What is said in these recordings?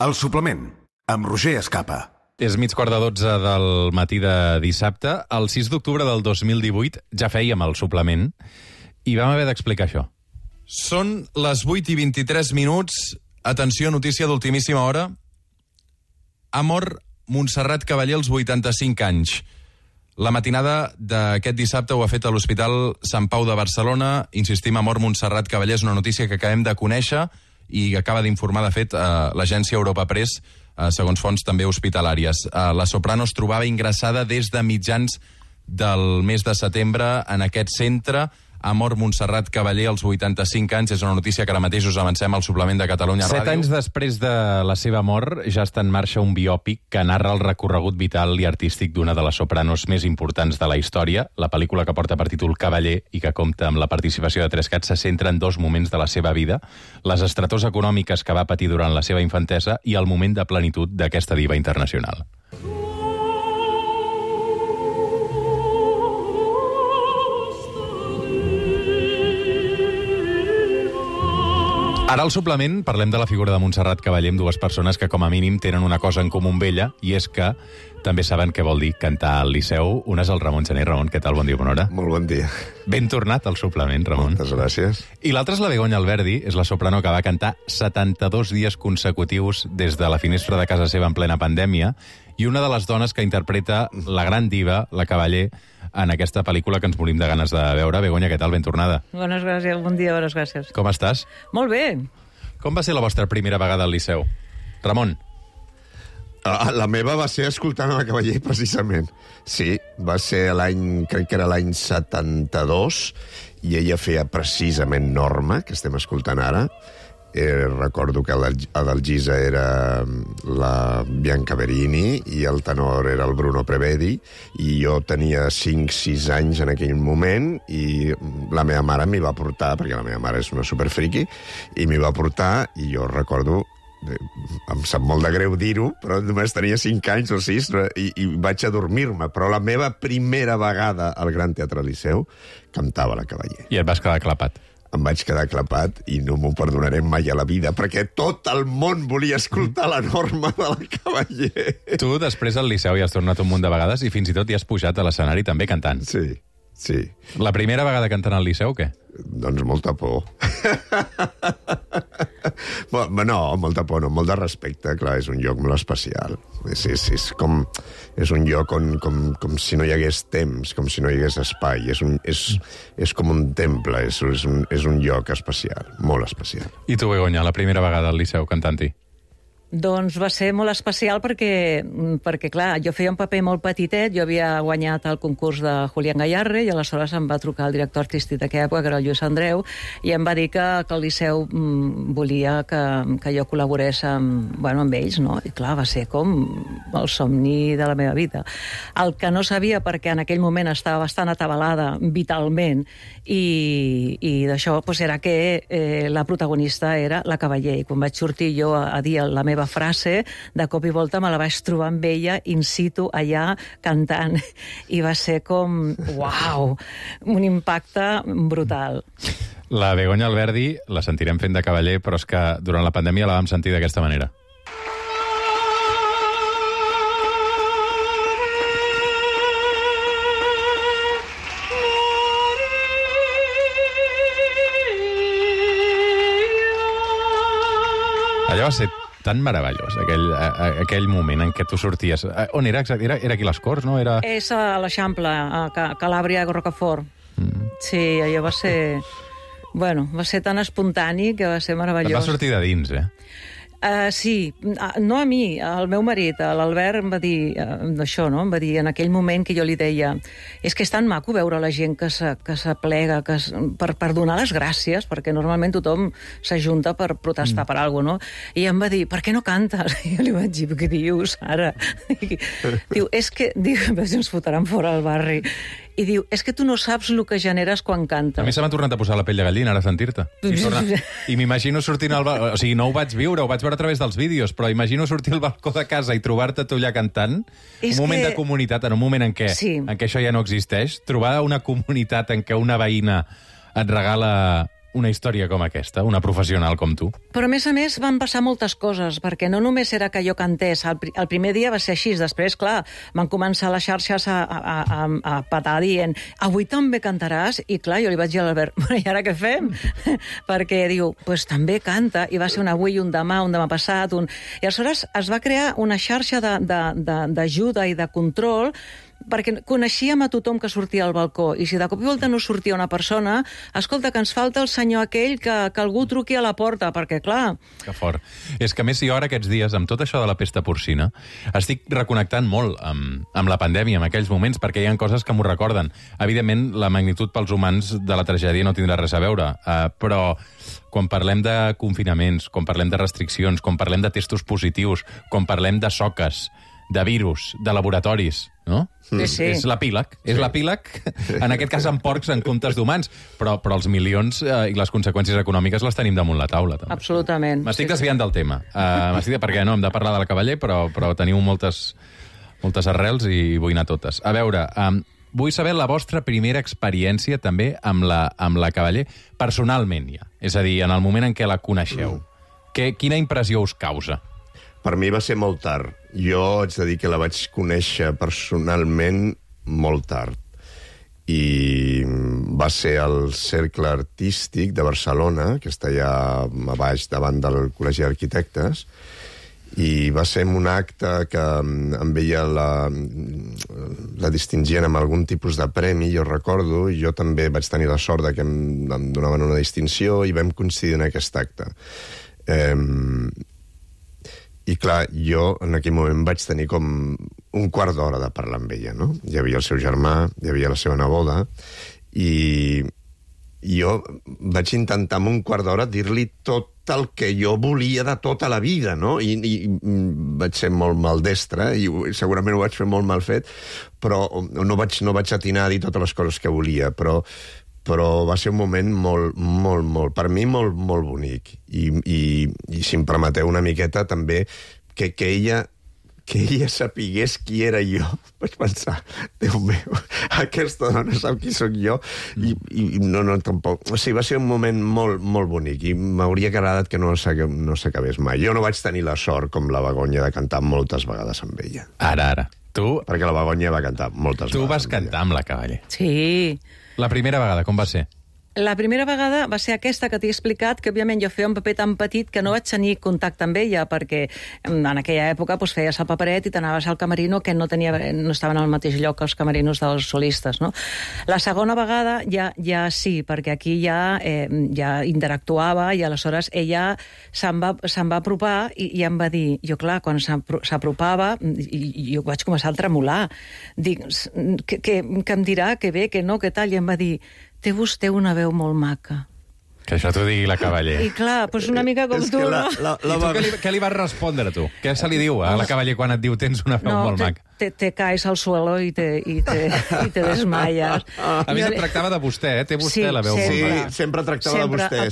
El suplement, amb Roger Escapa. És 11:45 del matí de dissabte. El 6 d'octubre del 2018 ja fèiem el suplement i vam haver d'explicar això. Són les 8:23. Atenció, notícia d'ultimíssima hora. Ha mort Montserrat Cavaller als 85 anys. La matinada d'aquest dissabte ho ha fet a l'Hospital Sant Pau de Barcelona. Insistim, ha mort Montserrat Cavaller. És una notícia que acabem de conèixer i acaba d'informar, de fet, l'agència Europa Press, segons fonts també hospitalàries. La soprano es trobava ingressada des de mitjans del mes de setembre en aquest centre. Ha mort Montserrat Cavaller als 85 anys. És una notícia que ara mateix us avancem al suplement de Catalunya Ràdio. 7 anys després de la seva mort ja està en marxa un biòpic que narra el recorregut vital i artístic d'una de les sopranos més importants de la història. La pel·lícula, que porta per títol Cavaller i que compta amb la participació de 3 cats, se centra en 2 moments de la seva vida: les estretors econòmiques que va patir durant la seva infantesa i el moment de plenitud d'aquesta diva internacional. Ara al suplement parlem de la figura de Montserrat Cavaller amb 2 persones que com a mínim tenen una cosa en comú amb ella, i és que també saben què vol dir cantar al Liceu. Un és el Ramon Gené. Ramon, què tal? Bon dia, bona hora. Molt bon dia. Ben tornat al suplement, Ramon. Moltes gràcies. I l'altre és la Begoña Alberdi, és la soprano que va cantar 72 dies consecutius des de la finestra de casa seva en plena pandèmia, i una de les dones que interpreta la gran diva, la Cavaller, en aquesta pel·lícula que ens morim de ganes de veure. Begoña, què tal? Ben tornada. Bones gràcies, bon dia, bones gràcies. Com estàs? Molt bé. Com va ser la vostra primera vegada al Liceu? Ramon. La meva va ser escoltant a la Cavaller, precisament. Sí, va ser l'any, crec que era l'any 72, i ella feia precisament Norma, que estem escoltant ara. Recordo que l'Algisa era la Bianca Verini i el tenor era el Bruno Prevedi, i jo tenia 5-6 anys en aquell moment, i la meva mare m'hi va portar, perquè la meva mare és una superfriqui, i m'hi va portar, i jo recordo, em sap molt de greu dir-ho, però només tenia 5 anys o 6 i vaig adormir-me. Però la meva primera vegada al Gran Teatre Liceu cantava la Cavaller. I et vas quedar clapat. Em vaig quedar clapat i no m'ho perdonaré mai a la vida, perquè tot el món volia escoltar la Norma de la Cavaller. Tu, després al Liceu, hi has tornat un munt de vegades i fins i tot hi has pujat a l'escenari també cantant. Sí, sí. La primera vegada cantant al Liceu, què? Doncs molta por. No, molta por no, molt de respecte. Clar, és un lloc molt especial. És un lloc com si no hi hagués temps, com si no hi hagués espai. És com un temple, és un lloc especial, molt especial. I tu, Begoña, la primera vegada al Liceu cantant-hi? Doncs va ser molt especial perquè, clar, jo feia un paper molt petitet. Jo havia guanyat el concurs de Julián Gayarre i aleshores em va trucar el director artístic d'aquella època, que era el Lluís Andreu, i em va dir que el Liceu volia que jo col·laborés amb ells, no? I clar, va ser com el somni de la meva vida. El que no sabia, perquè en aquell moment estava bastant atabalada vitalment, i d'això era que la protagonista era la Cavaller. I quan vaig sortir jo a dir la meva frase, de cop i volta me la vaig trobar amb ella in situ allà cantant, i va ser com uau, un impacte brutal. La Begoña Alberdi la sentirem fent de Cavaller, però és que durant la pandèmia la vam sentir d'aquesta manera. Allò va ser tan meravellós, aquell moment en què tu sorties. On era? Era aquí a les Corts, no? És a l'Eixample, a Calàbria, a Rocafort. Sí, allò va ser... Bueno, va ser tan espontani que va ser meravellós. Et va sortir de dins, Sí, no a mi, al meu marit, l'Albert, em va dir això, no? Em va dir en aquell moment que jo li deia és que és tan maco veure la gent que s'aplega per donar les gràcies, perquè normalment tothom s'ajunta per protestar per alguna cosa, no? I em va dir, per què no cantes? I jo li vaig dir, què dius, ara? Diu, és que... ens fotran fora al barri. I diu, és que tu no saps el que generes quan cantes. A mi se m'ha tornat a posar la pell de gallina, ara sentir-te. I m'imagino sortint al balcó... O sigui, no ho vaig viure, ho vaig veure a través dels vídeos, però imagino sortir al balcó de casa i trobar-te tu allà cantant. Un moment de comunitat, en un moment en què això ja no existeix. Trobar una comunitat en què una veïna et regala una història com aquesta, una professional com tu? Però, a més, van passar moltes coses, perquè no només era que jo cantés. El primer dia va ser així. Després, clar, van començar les xarxes a patar dient avui també cantaràs? I, clar, jo li vaig dir a l'Albert, bueno, i ara què fem? Perquè diu, pues també canta. I va ser un avui, un demà passat. I aleshores es va crear una xarxa d'ajuda i de control, perquè coneixíem a tothom que sortia al balcó, i si de cop i volta no sortia una persona, escolta, que ens falta el senyor aquell, que algú truqui a la porta, perquè, clar... Que fort. És que, a més, jo ara aquests dies, amb tot això de la pesta porcina, estic reconnectant molt amb la pandèmia, en aquells moments, perquè hi ha coses que m'ho recorden. Evidentment, la magnitud pels humans de la tragèdia no tindrà res a veure, però quan parlem de confinaments, quan parlem de restriccions, quan parlem de testos positius, quan parlem de soques, de virus, de laboratoris, no? Sí, sí. És l'epíleg. És l'epíleg, en aquest cas amb porcs en comptes d'humans, però els milions i les conseqüències econòmiques les tenim damunt la taula, també. Absolutament. M'estic desviant del tema. Perquè no, hem de parlar de la Cavaller, però teniu moltes arrels i vull anar a totes. A veure, vull saber la vostra primera experiència també amb la Cavaller, personalment ja. És a dir, en el moment en què la coneixeu. Quina impressió us causa? Per mi va ser molt tard. Jo haig de dir que la vaig conèixer personalment molt tard. I va ser al Cercle Artístic de Barcelona, que està allà a baix davant del Col·legi d'Arquitectes, i va ser un acte que amb ella la distingien amb algun tipus de premi, jo recordo, i jo també vaig tenir la sort de que em donaven una distinció i vam coincidir en aquest acte. I clar, jo en aquell moment vaig tenir com un quart d'hora de parlar amb ella, no? Hi havia el seu germà, hi havia la seva neboda, i jo vaig intentar en un quart d'hora dir-li tot el que jo volia de tota la vida, no? I vaig ser molt maldestre, i segurament ho vaig fer molt mal fet, però no vaig atinar a dir totes les coses que volia, però va ser un moment molt, per mi molt bonic. I si em permeteu una miqueta, també, que ella sapigués qui era jo. Vaig pensar, Déu meu, aquesta dona sap qui sóc jo, i no, tampoc. O sigui, va ser un moment molt bonic, i m'hauria agradat que no s'acabés mai. Jo no vaig tenir la sort, com la Begoña, de cantar moltes vegades amb ella. Ara. Tu... Perquè la Begoña va cantar moltes vegades. Tu vas cantar amb la Cavaller. Sí. La primera vegada, com va ser? La primera vegada va ser aquesta que t'he explicat, que òbviament jo feia un paper tan petit que no vaig tenir contacte amb ella, perquè en aquella època feies el paperet i t'anaves al camerino, que no estaven al mateix lloc que els camerinos dels solistes, no? La segona vegada ja sí, perquè aquí ja interactuava, i aleshores ella se'n va apropar i em va dir, jo clar, quan s'apropava, jo vaig començar a tremolar. Dic, que em dirà, que bé, que no, que tal, i em va dir, té vostè una veu molt maca. Que això t'ho digui la Cavaller. I clar, doncs una mica com tu, no? I tu què li vas respondre, tu? Què se li diu a la Cavaller quan et diu tens una veu molt maca? Te caes al suelo i te desmayes. A més, et tractava de vostè, té vostè la veu molt maca. Sí, sempre tractava de vostè.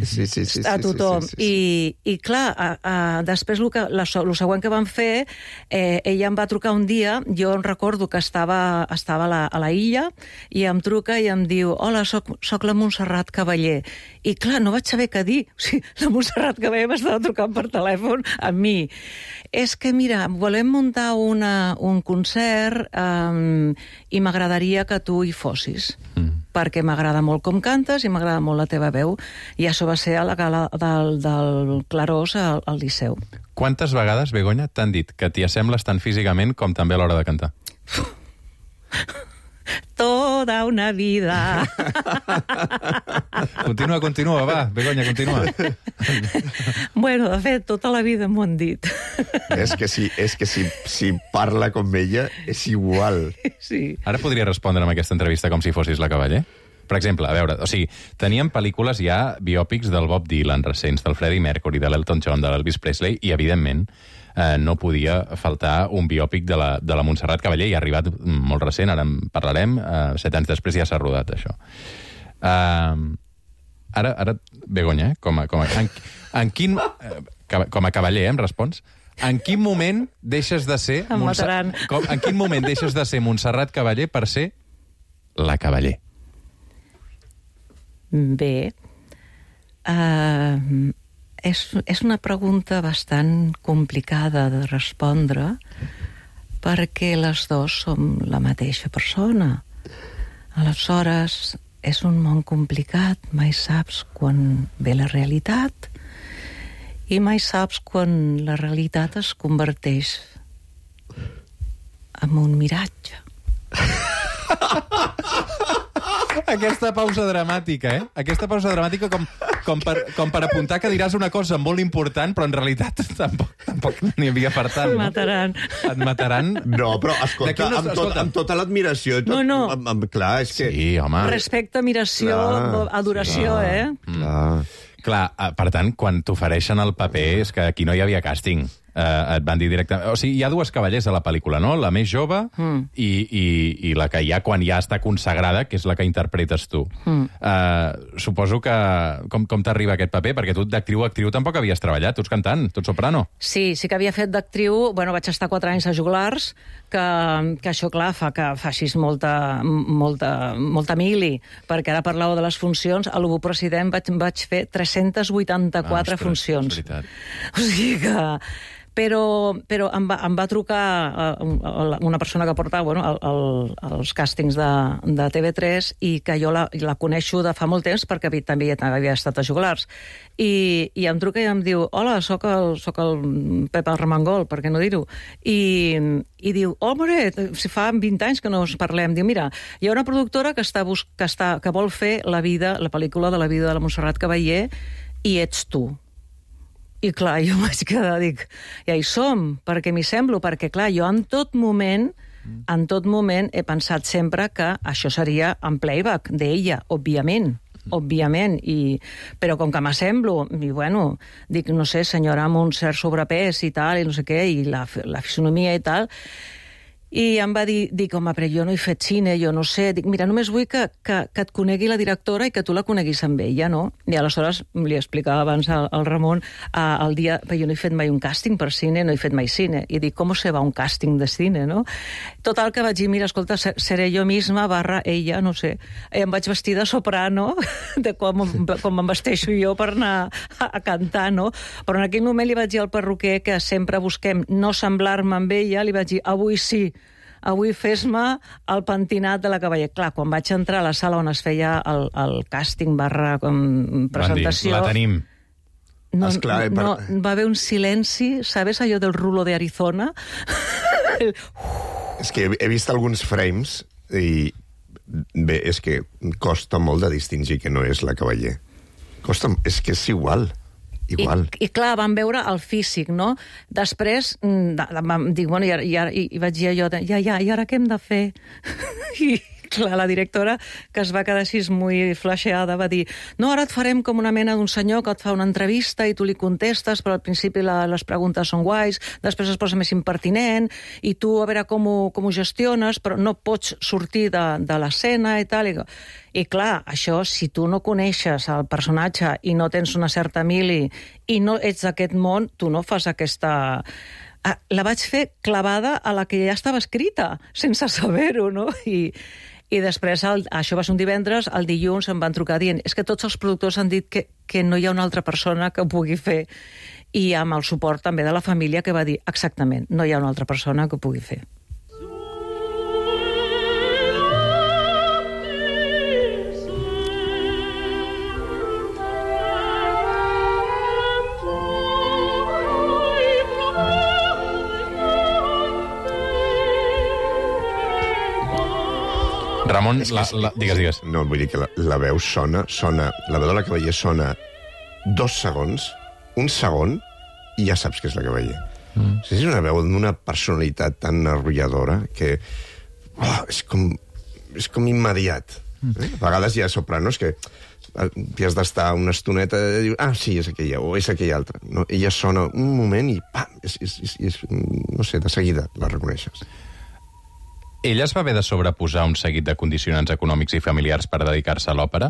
Sí. A tothom. I clar, després el següent que vam fer, ella em va trucar un dia, jo recordo que estava a la illa, i em truca i em diu, hola, soc la Montserrat Cavaller. I clar, no vaig saber què dir. O sigui, la Montserrat Cavaller m'estava trucant per telèfon a mi. És que, mira, volem muntar un concert i m'agradaria que tu hi fossis. Perquè m'agrada molt com cantes i m'agrada molt la teva veu. I això va ser a la gala del Clarós al Liceu. Quantes vegades, Begoña, t'han dit que t'hi assembles tant físicament com també a l'hora de cantar? Toda una vida. Continua, va, Begoña, continua. Bueno, de fet, tota la vida m'ho han dit. És que si parla com ella, és igual. Sí. Ara podria respondre amb aquesta entrevista com si fossis la Cavaller? Per exemple, a veure, o sigui, teníem pel·lícules ja biòpics del Bob Dylan recents, del Freddie Mercury, de l'Elton John, de l'Elvis Presley, i, evidentment, no podia faltar un biòpic de la Montserrat Cavaller, i ha arribat molt recent, ara en parlarem, 7 anys després ja s'ha rodat, això. Ara, Begoña, com a Cavaller, em respons? En quin moment deixes de ser... En quin moment deixes de ser Montserrat Cavaller per ser la Cavaller? Bé, És una pregunta bastant complicada de respondre perquè les dues som la mateixa persona. Aleshores, és un món complicat, mai saps quan ve la realitat i mai saps quan la realitat es converteix en un miratge. Aquesta pausa dramàtica, Aquesta pausa dramàtica com per apuntar que diràs una cosa molt important, però en realitat tampoc n'hi havia per tant. Et mataran. Et mataran. No, però escolta, amb tota l'admiració... No. Clar, és que... Sí, home. Respecte, admiració, adoració, Clar, per tant, quan t'ofereixen el paper és que aquí no hi havia càsting. Et van dir directament... O sigui, hi ha dues cavallers a la pel·lícula, no? La més jove i la que ja quan ja està consagrada, que és la que interpretes tu. Suposo que... Com t'arriba aquest paper? Perquè tu d'actriu a actriu tampoc havies treballat. Tu ets cantant, tu ets soprano. Sí que havia fet d'actriu. Bueno, vaig estar 4 anys a Joglars, que això, clar, fa que facis molta mili, perquè ara parlàveu de les funcions. A l'Ubu President vaig fer 384 funcions. És veritat. O sigui que... Però em va trucar una persona que portava els càstings de TV3 i que jo la coneixo de fa molt temps perquè també havia estat a Joglars. I em truca i em diu: hola, soc el Pep Armengol, per què no dir-ho? I diu: home, si fa 20 anys que no us parlem. Diu: mira, hi ha una productora que vol fer la pel·lícula de la vida de la Montserrat Caballé i ets tu. I clar, jo vaig quedar, dic, ja hi som, perquè m'hi semblo, perquè clar, jo en tot moment he pensat sempre que això seria en playback d'ella, òbviament, però com que m'assemblo, i bueno, dic, no sé, senyora amb un cert sobrepès i tal, i no sé què, i la fisonomia i tal, i em va dir, home, però jo no he fet cine, jo no sé, dic, mira, només vull que et conegui la directora i que tu la coneguis amb ella, no? I aleshores li explicava abans al Ramon el dia, perquè jo no he fet mai un càsting per cine, no he fet mai cine, i dic, com se va un càsting de cine, no? Total, que vaig dir, mira, escolta, seré jo misma / ella, no sé, i em vaig vestir de soprano, de com em vesteixo jo per anar a cantar, no? Però en aquell moment li vaig dir al perruquer que sempre busquem no semblar-me amb ella, li vaig dir, avui sí, avui fes-me el pentinat de la Cavaller. Clar, quan vaig entrar a la sala on es feia el càsting / presentació... La tenim. No, va haver un silenci, ¿sabes allò del rulo de Arizona? És que he vist alguns frames i bé, és que costa molt de distingir que no és la Cavaller. És que és igual. I clar, vam veure el físic, no? Després vam dir, bueno, i vaig dir allò de, i ara què hem de fer? I clar, la directora, que es va quedar així molt flasheada, va dir, no, ara et farem com una mena d'un senyor que et fa una entrevista i tu li contestes, però al principi les preguntes són guais, després es posa més impertinent, i tu a veure com ho gestiones, però no pots sortir de l'escena i tal. I clar, això, si tu no coneixes el personatge i no tens una certa mili i no ets d'aquest món, tu no fas aquesta... La vaig fer clavada a la que ja estava escrita, sense saber-ho, no? I després, això va ser un divendres, el dilluns em van trucar dient és que tots els productors han dit que no hi ha una altra persona que ho pugui fer. I amb el suport també de la família que va dir exactament, no hi ha una altra persona que ho pugui fer. Ramon, digues. No, vull dir que la veu sona, la veu de la Cavaller sona 2 segons, un segon, i ja saps que és la Cavaller. És una veu d'una personalitat tan arrolladora que és com immediat. A vegades hi ha sopranos que has d'estar una estoneta i dius, sí, és aquella, o és aquella altra. No? Ella sona un moment i pam, no sé, de seguida la reconeixes. Ella es va haver de sobreposar un seguit de condicionants econòmics i familiars per dedicar-se a l'òpera.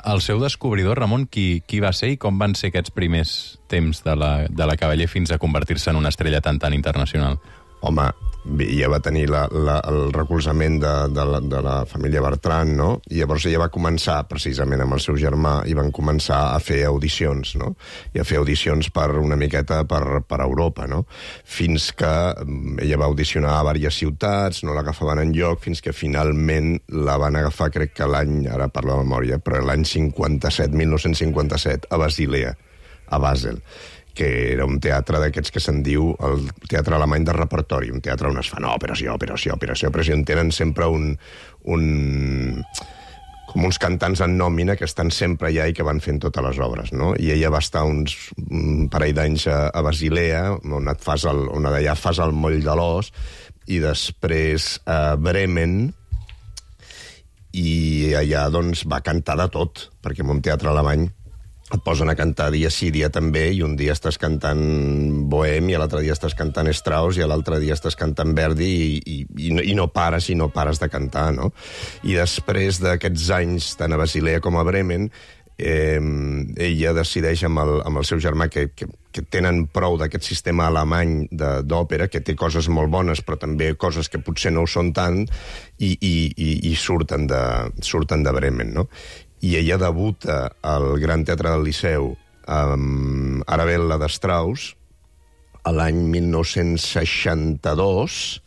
El seu descobridor, Ramon, qui va ser i com van ser aquests primers temps de la Cavaller fins a convertir-se en una estrella tan internacional? home, ella va tenir el recolzament de la família Bertran, no? I llavors ella va començar, precisament amb el seu germà, i van començar a fer audicions, no? I a fer audicions per una miqueta per Europa, no? Fins que ella va audicionar a diverses ciutats, no l'agafaven enlloc, fins que finalment la van agafar, crec que l'any, ara parlo de memòria, però l'any 1957, a Basilea, a Basel, que era un teatre d'aquests que se'n diu el teatre alemany de repertori, un teatre on es fan operació, on tenen sempre com uns cantants en nòmina que estan sempre allà i que van fent totes les obres, no? I ella va estar un parell d'anys a Basilea, on d'allà fas el moll de l'os, i després a Bremen, i allà doncs va cantar de tot, perquè en un teatre alemany et posen a cantar dia sí, dia també, i un dia estàs cantant Bohem, i l'altre dia estàs cantant Strauss, i l'altre dia estàs cantant Verdi, i no pares de cantar, no? I després d'aquests anys, tant a Basilea com a Bremen, ella decideix amb el seu germà que tenen prou d'aquest sistema alemany d'òpera, que té coses molt bones, però també coses que potser no ho són tant, i surten de Bremen, no? I ella debuta al Gran Teatre del Liceu amb Arabella de Strauss l'any 1962,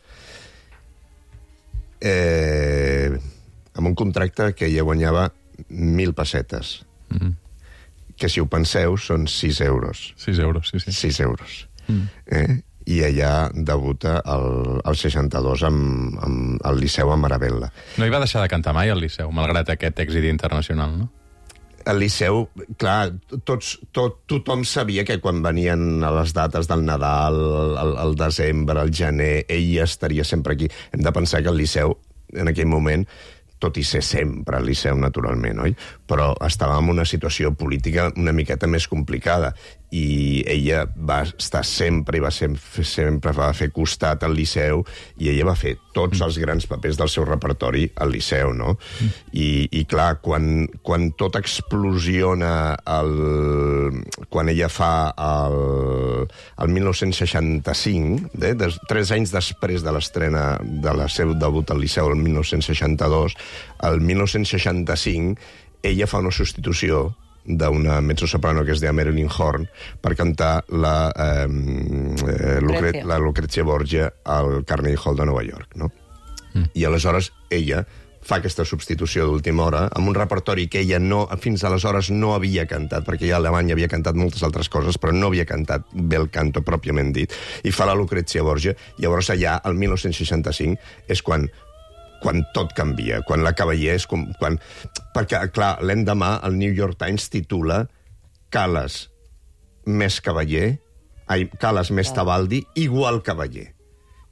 amb un contracte que ella guanyava 1.000 pessetes, que si ho penseu són 6 euros. 6 euros, sí. 6 euros. I ella debuta al 62 al Liceu amb Arabella. No hi va deixar de cantar mai al Liceu, malgrat aquest èxit internacional, no? Al Liceu, clar, tothom sabia que quan venien a les dates del Nadal, al desembre, al gener, ella estaria sempre aquí. Hem de pensar que el Liceu, en aquell moment, tot i ser sempre al Liceu, naturalment, oi? Però estava en una situació política una miqueta més complicada, i ella va estar sempre va fer costat al Liceu, i ella va fer tots els grans papers del seu repertori al Liceu, no? I clar, quan tot explosiona quan ella fa el 1965, 3 anys després de l'estrena del seu debut al Liceu, el 1962, el 1965 ella fa una substitució d'una mezzosoprano que es deia Marilyn Horne per cantar la Lucrezia Borgia al Carnegie Hall de Nova York, no? I aleshores ella fa aquesta substitució d'última hora amb un repertori que ella fins aleshores no havia cantat, perquè ja a Alemanya havia cantat moltes altres coses, però no havia cantat bel canto pròpiament dit, i fa la Lucrezia Borgia. Llavors allà, el 1965, és quan tot canvia, quan la Cavallé és perquè, clar, l'endemà el New York Times titula Callas més Cavallé, Callas més Tebaldi igual Cavallé.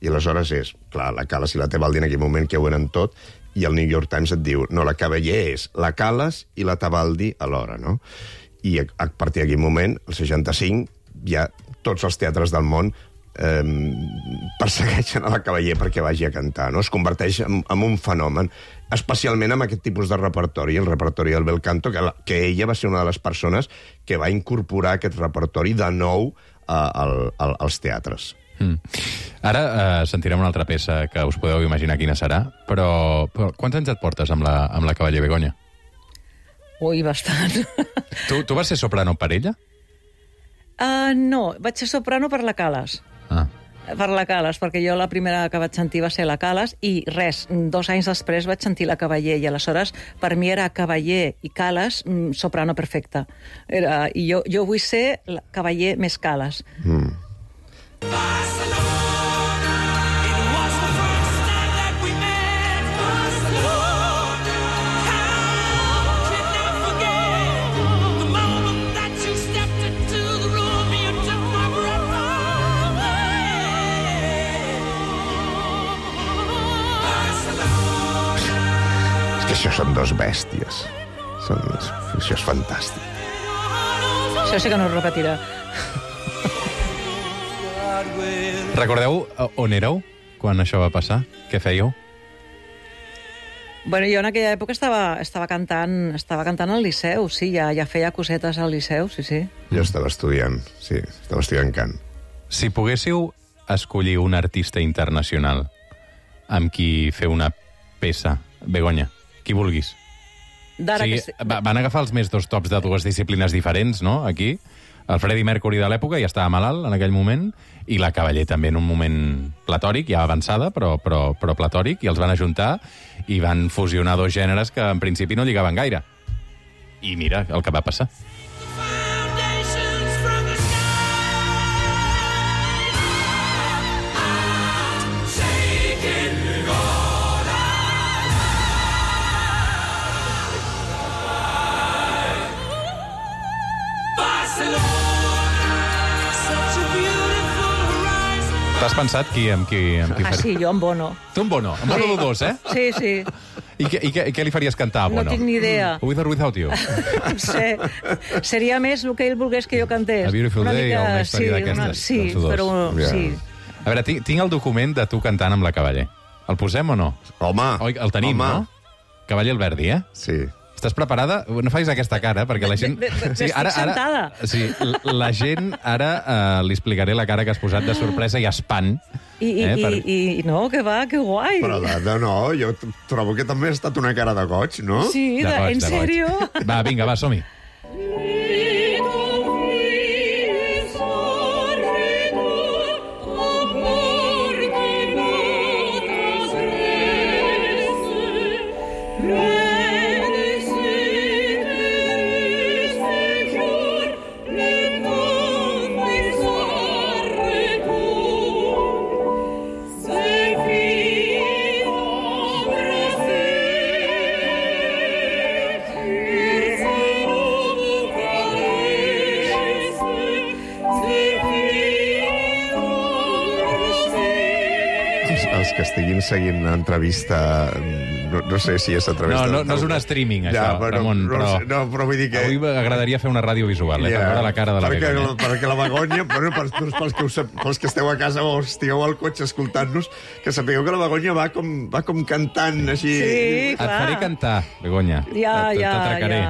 I aleshores és, clar, la Callas i la Tebaldi en aquell moment que ho eren tot, i el New York Times et diu, no, la Cavallé és la Callas i la Tebaldi alhora, no? I a partir d'aquell moment, el 65, ja tots els teatres del món persegueixen a la Cavallé perquè vagi a cantar, no? Es converteix en un fenomen, especialment amb aquest tipus de repertori, el repertori del bel canto, que ella va ser una de les persones que va incorporar aquest repertori de nou als teatres. Ara sentirem una altra peça que us podeu imaginar quina serà, però quants anys et portes amb la Cavallé, Begoña? Ui, bastant. Tu vas ser soprano per ella? No, vaig ser soprano per la Callas. Per la Callas, perquè jo la primera que vaig sentir va ser la Callas, i 2 anys després vaig sentir la Cavallé, i aleshores per mi era Cavallé i Callas soprano perfecta. I jo vull ser la Cavallé més Callas. Això són dos bèsties. Això és fantàstic. Això sí que no es repetirà. Recordeu on éreu quan això va passar? Què fèieu? Bueno, jo en aquella època estava cantant al Liceu, sí, ja feia cosetes al Liceu, sí. Jo estava estudiant, sí, estava estudiant cant. Si poguéssiu escollir un artista internacional amb qui fer una peça, Begoña, qui vulguis. D'ara Sí, que... van agafar els més dos tops de dues disciplines diferents, no?, aquí. El Freddie Mercury de l'època ja estava malalt en aquell moment, i la Cavaller també en un moment platòric, ja avançada, però platòric, i els van ajuntar i van fusionar dos gèneres que en principi no lligaven gaire. I mira el que va passar. T'has pensat amb qui Ah, sí, jo amb Bono. Tu amb Bono, amb Bono Dodós, eh? Sí, sí. I què li faries cantar a Bono? No tinc ni idea. With or Without You? No sé. Seria més el que ell volgués que jo cantés. A Beautiful Una Day mica, o una història sí, d'aquestes, Sí, dels dos. però sí. A veure, tinc el document de tu cantant amb la Cavaller. El posem o no? Home! Oi, el tenim, home. no? Cavaller Alberdi, eh? Sí. Estàs preparada? No facis aquesta cara, perquè la gent... Estic sentada. Sí, la gent ara li explicaré la cara que has posat de sorpresa i espant. I no, que va, que guai. Però no, jo trobo que també ha estat una cara de goig, no? Sí, De goig, en de goig. sèrio? Va, vinga, va, som-hi. Els que estiguin seguint l'entrevista, no sé si és a través de... No és un streaming, això, bueno, Ramon, però vull dir que... Avui m'agradaria fer una ràdio visual, per veure la cara de la Begoña. Perquè la Begoña, bueno, pels que esteu a casa o estigueu al cotxe escoltant-nos, que sapigueu que la Begoña va com cantant així... Sí, Et clar. faré cantar, Begoña. T'atracaré.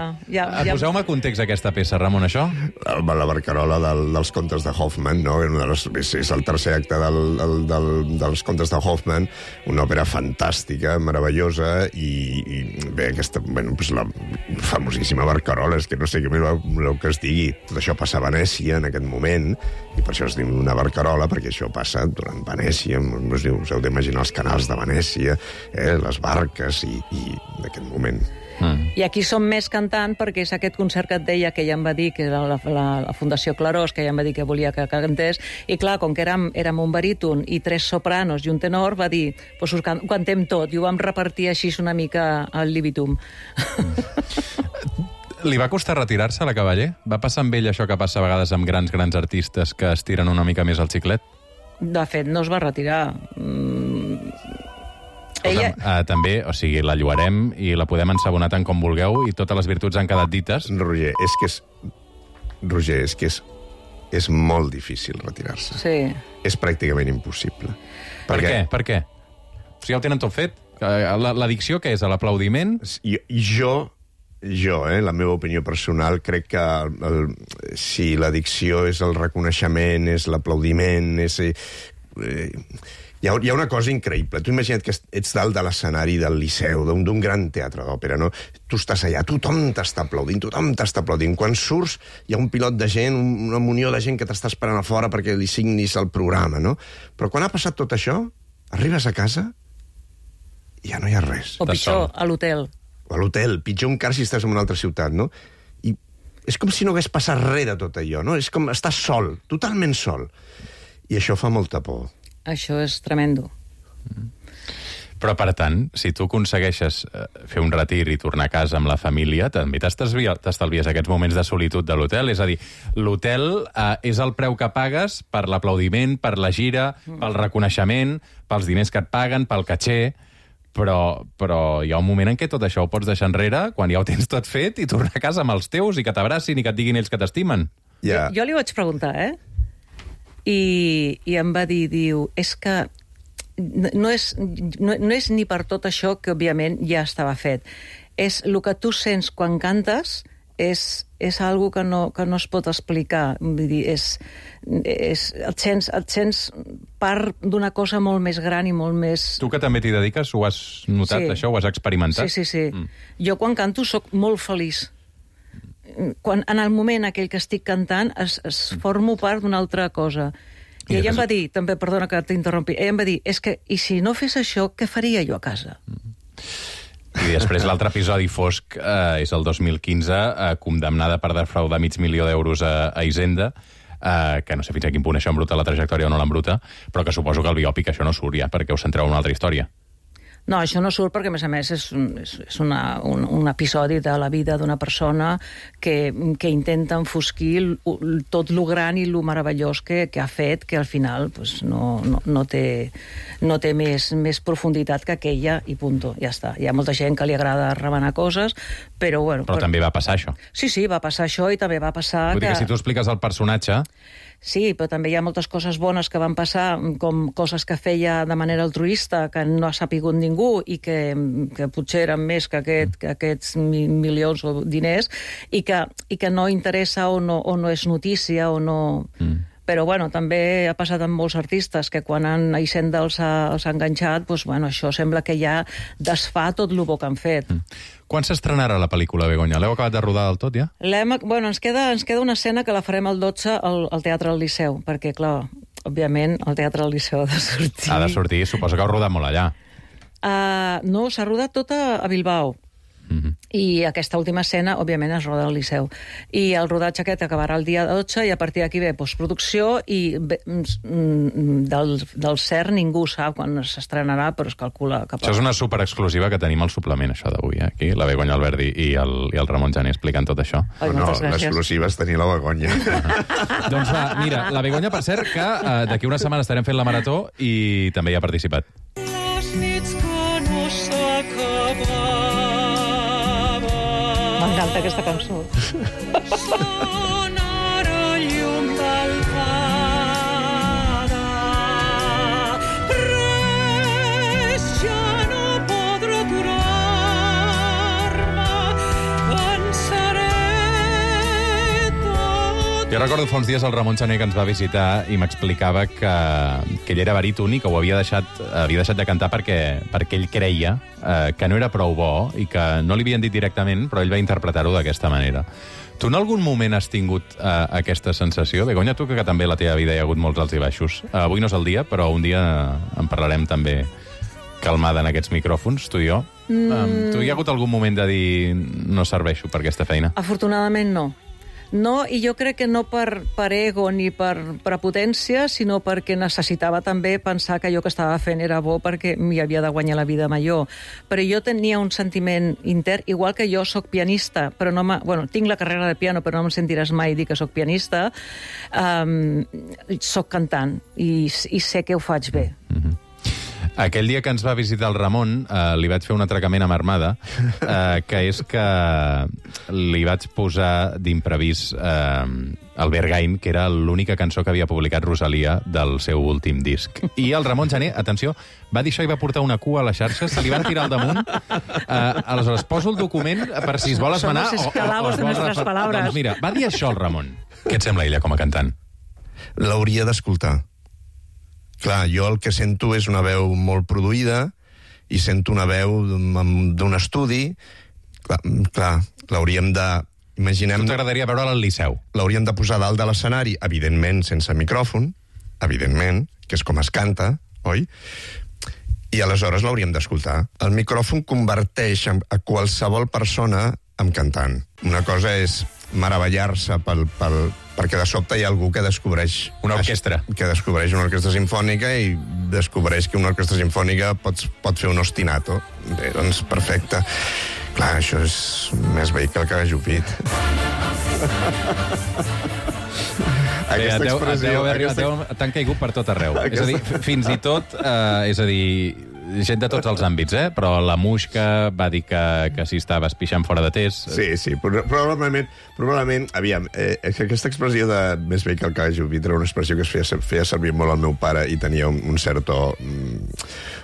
Poseu-me context aquesta peça, Ramon, això? La barcarola dels contes de Hoffman, no? És el tercer acte dels contes de Hoffman, una òpera fantàstica, meravellosa, i bé, aquesta, bueno, pues la famosíssima barcarola, és que no sé què més voleu que es digui. Tot això passa a Venècia en aquest moment, i per això es diu una barcarola, perquè això passa durant Venècia, us heu d'imaginar els canals de Venècia, les barques, i d'aquest moment. I aquí som més cantant perquè és aquest concert que et deia que ella em va dir, que era la Fundació Clarós, que ella em va dir que volia que cantés, i clar, com que érem un baríton i 3 sopranos i un tenor, va dir, pues ho cantem tot, i ho vam repartir així una mica al libitum. Li va costar retirar-se, a la Cavaller? Va passar amb ell això que passa a vegades amb grans artistes que estiren una mica més el xiclet? De fet, no es va retirar. Ella... També, o sigui, la lloarem i la podem ensabonar tant com vulgueu i totes les virtuts han quedat dites. Roger, és que és molt difícil retirar-se. Sí. És pràcticament impossible. Per què? O sigui, ja ho tenen tot fet? L'addicció què és? L'aplaudiment? Jo, la meva opinió personal, crec que si l'addicció és el reconeixement, és l'aplaudiment, és... Hi ha una cosa increïble. Tu imagina't que ets dalt de l'escenari del Liceu, d'un gran teatre d'òpera, no? Tu estàs allà, tothom t'està aplaudint. Quan surts, hi ha un pilot de gent, una munió de gent que t'està esperant a fora perquè li signis el programa, no? Però quan ha passat tot això, arribes a casa i ja no hi ha res. O pitjor, a l'hotel. O a l'hotel, pitjor encara si estàs en una altra ciutat, no? I és com si no hagués passat res de tot allò, no? És com estar sol, totalment sol. I això fa molta por. Això és tremendo. Però, per tant, si tu aconsegueixes fer un retir i tornar a casa amb la família, també t'estalvies aquests moments de solitud de l'hotel. És a dir, l'hotel és el preu que pagues per l'aplaudiment, per la gira, pel reconeixement, pels diners que et paguen, pel caché, però hi ha un moment en què tot això ho pots deixar enrere, quan ja ho tens tot fet, i tornar a casa amb els teus i que t'abracin i que et diguin ells que t'estimen. Yeah. Jo li vaig preguntar, I em va dir, és que no és ni per tot això que, òbviament, ja estava fet. És el que tu sents quan cantes, és algo que no es pot explicar. Vull dir, et sents part d'una cosa molt més gran i molt més... Tu que també t'hi dediques, ho has notat, Sí. això? Ho has experimentat? Sí. Jo quan canto sóc molt feliç. En el moment aquell que estic cantant es formo part d'una altra cosa. I ella em va dir, també, perdona que t'interrompi, ella em va dir, és que, i si no fes això, què faria jo a casa? I després l'altre episodi fosc és el 2015, condemnada per defraudar $500.000 a Hisenda, que no sé fins a quin punt això embruta la trajectòria o no l'embruta, però que suposo que el biòpic això no surt ja, perquè us centreu en una altra història. No, això no surt perquè, a més, és un episodi de la vida d'una persona que intenta enfosquir tot lo gran i lo meravellós que ha fet, que al final pues, no té més profunditat que aquella i punto, ja està. Hi ha molta gent que li agrada remenar coses, però bueno... Però també va passar això. Sí, va passar això i també va passar Vull dir que si tu expliques el personatge... Sí, però també hi ha moltes coses bones que van passar, com coses que feia de manera altruista, que no ha sapigut ningú i que potser eren més que aquests milions o diners i que no interessa o no és notícia o no... Però, bueno, també ha passat amb molts artistes que quan Hisenda els ha enganxat, doncs, bueno, això sembla que ja desfà tot el bo que han fet. Quan s'estrenarà la pel·lícula, Begoña? L'heu acabat de rodar del tot, ja? Bueno, ens queda una escena que la farem el 12 al Teatre del Liceu, perquè, clar, òbviament, el Teatre del Liceu ha de sortir. Ha de sortir, suposo que heu rodat molt allà. No, s'ha rodat tot a Bilbao. I aquesta última escena, òbviament, es roda al Liceu. I el rodatge aquest acabarà el dia 12 i a partir d'aquí ve postproducció i del cert ningú sap quan s'estrenarà, però es calcula cap a... Això és una superexclusiva que tenim al suplement, això d'avui, aquí. La Begoña Alberdi i el Ramon Jané explicant tot això. Ai, moltes gràcies. L'exclusiva és tenir la Begoña. Doncs va, mira, la Begoña, per cert, que d'aquí una setmana estarem fent la marató i també hi ha participat. Les nits que no s'acabaven. M'encanta aquesta cançó. Són ara llum d'albada. Res ja no podrà aturar-me. Pensaré tot. Jo recordo fa uns dies el Ramon Jané que ens va visitar i m'explicava que ell era baríton i que ho havia deixat de cantar perquè ell creia que no era prou bo i que no li havien dit directament, però ell va interpretar-ho d'aquesta manera. Tu en algun moment has tingut aquesta sensació? Begoña, tu que també a la teva vida hi ha hagut molts alts i baixos. Avui no és el dia, però un dia en parlarem també calmada en aquests micròfons, tu i jo. Tu hi ha hagut algun moment de dir no serveixo per aquesta feina? Afortunadament no. No, i jo crec que no per ego ni per prepotència, sinó perquè necessitava també pensar que allò que estava fent era bo perquè m'hi havia de guanyar la vida millor. Però jo tenia un sentiment intern, igual que jo sóc pianista, però tinc la carrera de piano, però no em sentiràs mai dir que sóc pianista, sóc cantant i sé que ho faig bé. Aquell dia que ens va visitar el Ramon, li vaig fer un atracament amb Armada, que és que li vaig posar d'imprevís el Bergain, que era l'única cançó que havia publicat Rosalia del seu últim disc. I el Ramon Jané, atenció, va dir això i va portar una cua a les xarxes, se li van tirar al damunt. Aleshores, poso el document per si es vol esmenar... Somos esclavos de nuestras palabras. Doncs mira, va dir això el Ramon. Què et sembla ella com a cantant? L'hauria d'escoltar. Clar, jo el que sento és una veu molt produïda i sento una veu d'un estudi. Clar, l'hauríem de... Imaginem... Tu t'agradaria veure'l al Liceu? L'hauríem de posar dalt de l'escenari, evidentment sense micròfon, evidentment, que és com es canta, oi? I aleshores l'hauríem d'escoltar. El micròfon converteix a qualsevol persona en cantant. Una cosa és meravellar-se perquè de sobte hi ha algú que descobreix... Una orquestra. Que descobreix una orquestra sinfònica i descobreix que una orquestra sinfònica pot fer un ostinato. Bé, doncs perfecte. Clar, això és més veí que el cagajupit. T'han caigut per tot arreu. És a dir, fins i tot... És a dir, gent de tots els àmbits, però la Muixca va dir que si estaves pixant fora de test... Sí, probablement, aviam, aquesta expressió de més bé que el cagajupit era una expressió que es feia servir molt al meu pare i tenia un cert to...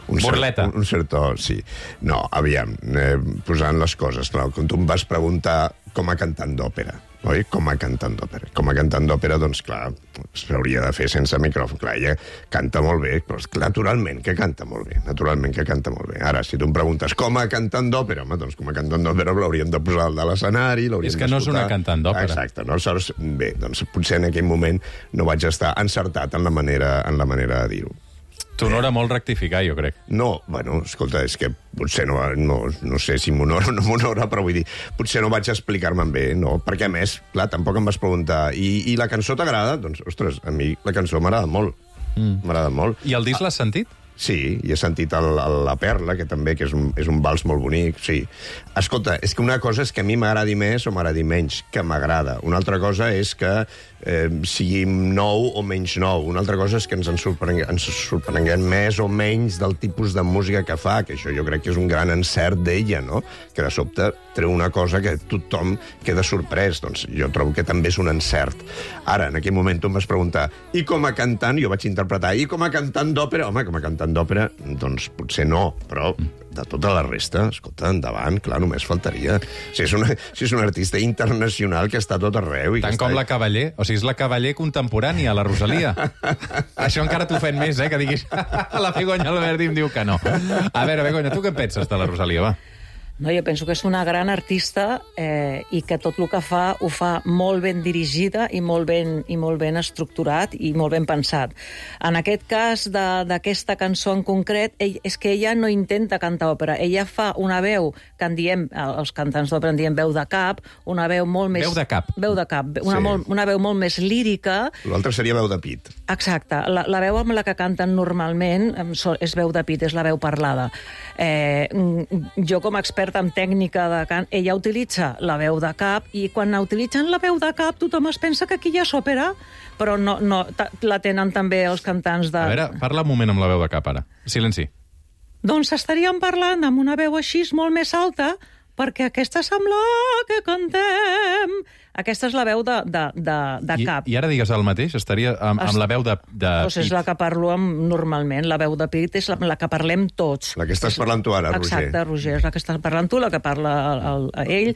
Burleta. Un cert to, sí. No, aviam, posant les coses, clar, quan tu em vas preguntar com a cantant d'òpera, oi? Com a cantant d'òpera. Com a cantant d'òpera, doncs, clar, s'hauria de fer sense micròfon. Clar, ella canta molt bé, però naturalment que canta molt bé. Naturalment que canta molt bé. Ara, si tu em preguntes com a cantant d'òpera, home, doncs com a cantant d'òpera l'hauríem de posar al de l'escenari, l'hauríem És que no és una cantant d'òpera. Exacte, no? Aleshores, bé, doncs potser en aquell moment no vaig estar encertat en la manera de dir-ho. T'honora molt rectificar, jo crec. No, bueno, escolta, és que potser no sé si m'honora o no m'honora, però vull dir, potser no vaig explicar-me'n bé, no? Perquè, a més, clar, tampoc em vas preguntar i la cançó t'agrada? Doncs, ostres, a mi la cançó m'agrada molt. M'agrada molt. I el disc l'has sentit? Sí, i he sentit La Perla, que també que és un vals molt bonic, sí. Escolta, és que una cosa és que a mi m'agradi més o m'agradi menys, que m'agrada. Una altra cosa és que sigui nou o menys nou. Una altra cosa és que ens sorprenguem més o menys del tipus de música que fa, que això jo crec que és un gran encert d'ella, no? Que de sobte treu una cosa que tothom queda sorprès. Doncs jo trobo que també és un encert. Ara, en aquell moment tu em vas preguntar, i com a cantant, jo vaig interpretar, i com a cantant d'òpera? Home, com a cantant d'òpera, doncs potser no, però de tota la resta, escolta, endavant, clar, només faltaria. Si és un artista internacional que està a tot arreu... Tant com la Cavaller. O sigui, és la Cavaller contemporània, la Rosalia. Això encara t'ofèn més, que diguis... La Begoña Alberdi em diu que no. A veure, Begoña, tu què en penses de la Rosalia, va? No, jo penso que és una gran artista i que tot el que fa ho fa molt ben dirigida i molt ben estructurat i molt ben pensat. En aquest cas d'aquesta cançó en concret, és que ella no intenta cantar òpera. Ella fa una veu que en diem, els cantants d'òpera en diem veu de cap, una veu molt més... Veu de cap. Veu de cap. Sí. Una veu molt més lírica. L'altre seria veu de pit. Exacte. La veu amb la que canten normalment és veu de pit, és la veu parlada. Jo, com a experta en tècnica de cant, ella utilitza la veu de cap i quan utilitzen la veu de cap tothom es pensa que aquí ja és òpera, però no, la tenen també els cantants de... A veure, parla un moment amb la veu de cap, ara. Silenci. Doncs estaríem parlant amb una veu així molt més alta perquè aquesta sembla que cantem... Aquesta és la veu de cap. I ara digues el mateix? Estaria amb la veu de Doncs és la que parlo normalment. La veu de pit és la que parlem tots. La que estàs parlant tu ara, Roger. Exacte, Roger, és la que estàs parlant tu, la que parla ell.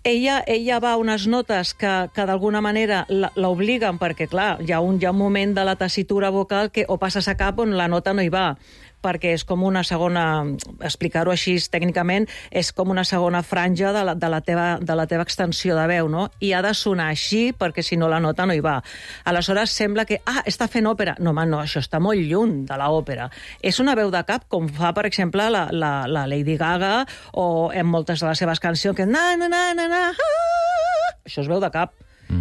Ella va a unes notes que d'alguna manera l'obliguen, perquè, clar, hi ha un moment de la tessitura vocal que o passes a cap on la nota no hi va, perquè és com una segona, explicar-ho així tècnicament, és com una segona franja de la teva extensió de veu, no? I ha de sonar així, perquè si no la nota no hi va. Aleshores sembla que, està fent òpera. No, home, no, això està molt lluny de l'òpera. És una veu de cap, com fa, per exemple, la Lady Gaga, o en moltes de les seves cancions, que això es veu de cap.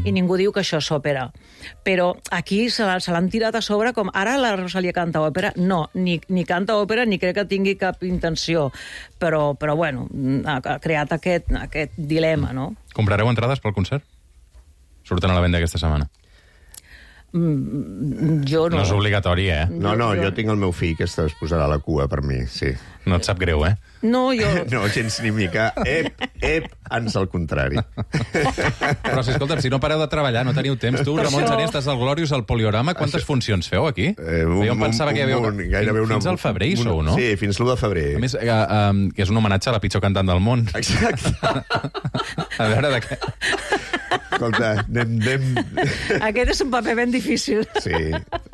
I ningú diu que això és òpera. Però aquí se l'han tirat a sobre com ara la Rosalia canta òpera. No, ni canta òpera ni crec que tingui cap intenció. Però bueno, ha creat aquest dilema, no? Comprareu entrades pel concert? Surten a la venda aquesta setmana. Jo no. No és obligatori, No, jo tinc el meu fill que es posarà a la cua per mi, sí. No et sap greu, No, jo... No, gens ni mica. Ans al contrari. Però, escolta'm, si no pareu de treballar, no teniu temps. Tu, Ramon Gené, estàs al Glorious, al Poliorama. Quantes funcions feu aquí? Jo em pensava que hi havia... Fins al febrer hi sou, no? Sí, fins l'1 de febrer. A més, que és un homenatge a la pitjor cantant del món. Exacte. A veure de què... Escolta, anem... Aquest és un paper ben difícil. Sí.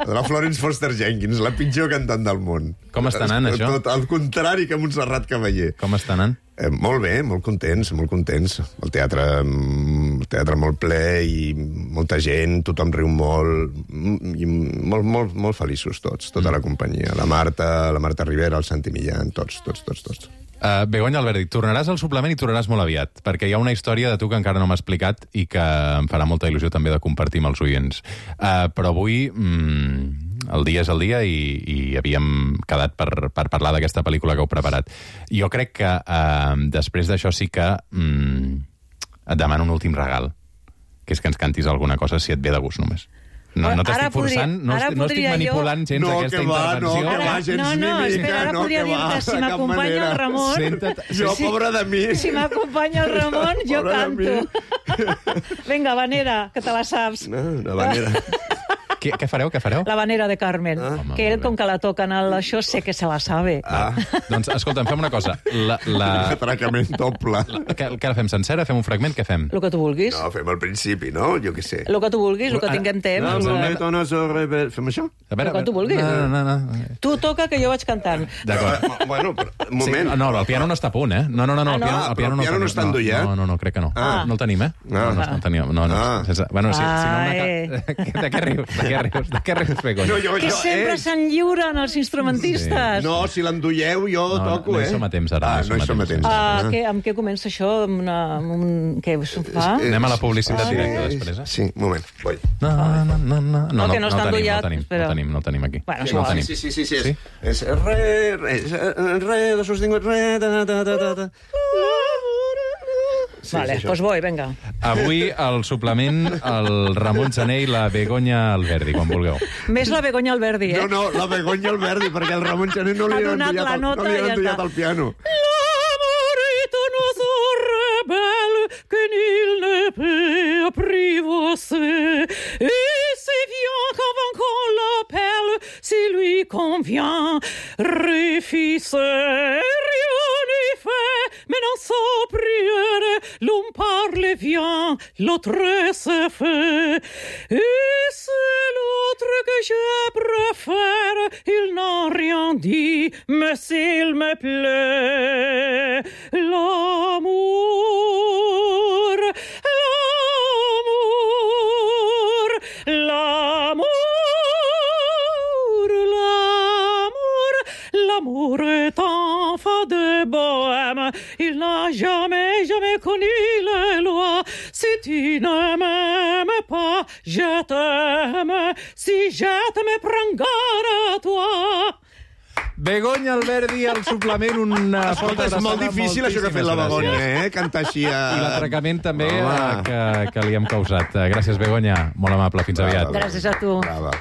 La Florence Foster Jenkins, la pitjor cantant del món. Com està anant, això? Tot al contrari que Montserrat Cavaller. Com està anant? Molt bé, molt contents, molt contents. El teatre molt ple i molta gent, tothom riu molt, i molt feliços tots, tota la companyia. La Marta Rivera, el Santi Millán, tots. Begoña Alberdi, tornaràs al suplement i tornaràs molt aviat, perquè hi ha una història de tu que encara no m'ha explicat i que em farà molta il·lusió també de compartir amb els oients. Però avui el dia és el dia i havíem quedat per parlar d'aquesta pel·lícula que heu preparat. Jo crec que després d'això sí que et demano un últim regal, que és que ens cantis alguna cosa si et ve de gust només. No t'estic forçant, no estic manipulant gens aquesta intervenció. No, espera, ara podria dir-te, si m'acompanya el Ramon... Jo, pobra de mi. Si m'acompanya el Ramon, jo canto. Vinga, Vanera, que te la saps. No, la Vanera. Què fareu? La Vanera de Carmen. Home, Que ell, molt bé. com que la toquen això, sé que se la sabe. Doncs, escolta'm, fem una cosa. Atracament doble. Què la fem sencera? Fem un fragment? Què fem? El que tu vulguis. No, fem al principi, no? Jo què sé. El que tu vulguis, el que tinguem temps. Fem això? A veure, El que tu vulguis. No. Tu toca, que jo vaig cantant. D'acord. Bueno, però, un Sí, moment. no, el piano no està a punt, eh? No, no? el piano no està endollat? No, crec que no. No el tenim, eh? No el tenim. No. Bueno, si no de què rius? De què rius, Begoña? Que sempre s'enlliuren els instrumentistes. No, si l'endolleu, jo toco, no hi som a temps, ara. no hi som a temps. Amb què comença això? Què us fa? Anem a la publicitat directa després, eh? Sí, un moment, vull. No, que no està endollat, espera. no el tenim aquí. Bueno, no el tenim. Sí. És re, do sostingut, re, ta. Vale, doncs voy, venga. Avui, al suplement, el Ramon Gené i la Begoña Alberdi, quan vulgueu. Més la Begoña Alberdi, eh? No, la Begoña Alberdi, perquè el Ramon Gené no li Ha ha donat la nota i ja endollat està. al piano. L'amour est un oiseau rebelle que nul ne peut apprivoiser. Et c'est bien qu'avant qu'on l'appelle, s'il lui convient, réfisse, rien n'est fait, mais dans sa prière, l'un parle bien, l'autre se fait. Et c'est l'autre que je préfère, il n'a rien dit, mais s'il me plaît, l'amour, l'amour est enfant de bohème, il n'a jamais connu les lois. Si tu ne m'aimes pas, je t'aime, si je t'aime, prends garde à toi. Begoña Alberdi, al suplement, una Escolta, és molt difícil això que ha fet la Begoña, cantar així a... I l'atracament també que li hem causat. Gràcies, Begoña. Molt amable. Fins aviat. Gràcies a tu. Brava.